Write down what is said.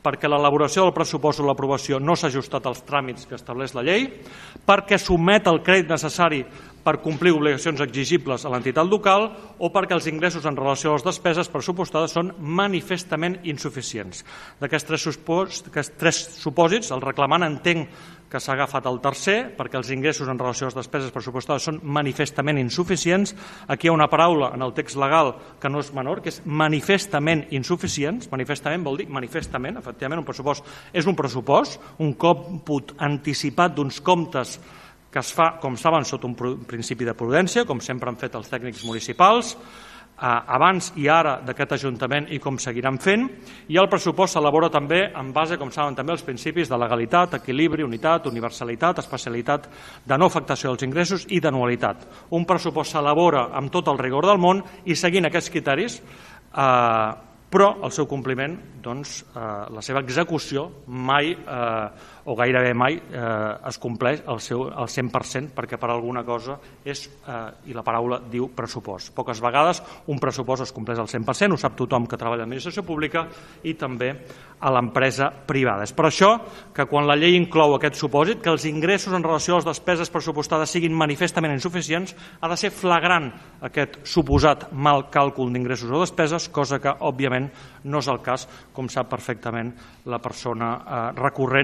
perquè l'elaboració del pressupost o l'aprovació no s'ha ajustat als tràmits que estableix la llei, perquè s'omet el crèdit necessari per complir obligacions exigibles a l'entitat local o perquè els ingressos en relació a les despeses pressupostades són manifestament insuficients. D'aquests tres supòsits, el reclamant entenc que s'ha agafat el tercer, perquè els ingressos en relació a les despeses pressupostades són manifestament insuficients. Aquí hi ha una paraula en el text legal que no és menor, que és manifestament insuficients. Manifestament vol dir manifestament, efectivament, un pressupost és un pressupost, un còmput anticipat d'uns comptes que es fa, com saben, sota un principi de prudència, com sempre han fet els tècnics municipals, abans i ara d'aquest Ajuntament i com seguiran fent, i el pressupost s'elabora també en base, com saben també, als principis de legalitat, equilibri, unitat, universalitat, especialitat, de no afectació dels ingressos i d'anualitat. Un pressupost s'elabora amb tot el rigor del món i seguint aquests criteris, però el seu compliment, doncs, la seva execució mai o gairebé mai es compleix al 100%, perquè per alguna cosa és, i la paraula diu pressupost. Poques vegades un pressupost es compleix al 100%, ho sap tothom que treballa a l'administració pública i també a l'empresa privada. És per això que quan la llei inclou aquest supòsit, que els ingressos en relació a les despeses pressupostades siguin manifestament insuficients, ha de ser flagrant aquest suposat mal càlcul d'ingressos o despeses, cosa que, òbviament, no és el cas, com sap perfectament la persona recurrent,